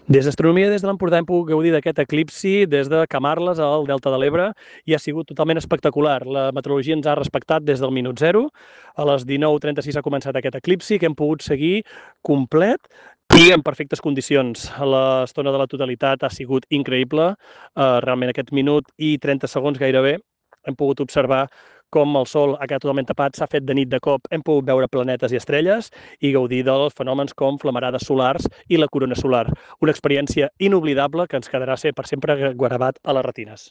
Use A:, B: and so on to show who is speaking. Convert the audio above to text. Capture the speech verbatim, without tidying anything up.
A: Des d'Astronomia, des de l'Empordà, hem pogut gaudir d'aquest eclipsi des de Camarles al Delta de l'Ebre i ha sigut totalment espectacular. La meteorologia ens ha respectat des del minut zero. A les dinou trenta-sis ha començat aquest eclipsi que hem pogut seguir complet i en perfectes condicions. L'estona de la totalitat ha sigut increïble. Uh, realment aquest minut i trenta segons gairebé hem pogut observar com el sol ha quedat totalment tapat, s'ha fet de nit de cop, hem pogut veure planetes i estrelles i gaudir dels fenòmens com flamarades solars i la corona solar. Una experiència inoblidable que ens quedarà ser per sempre gravat a les retines.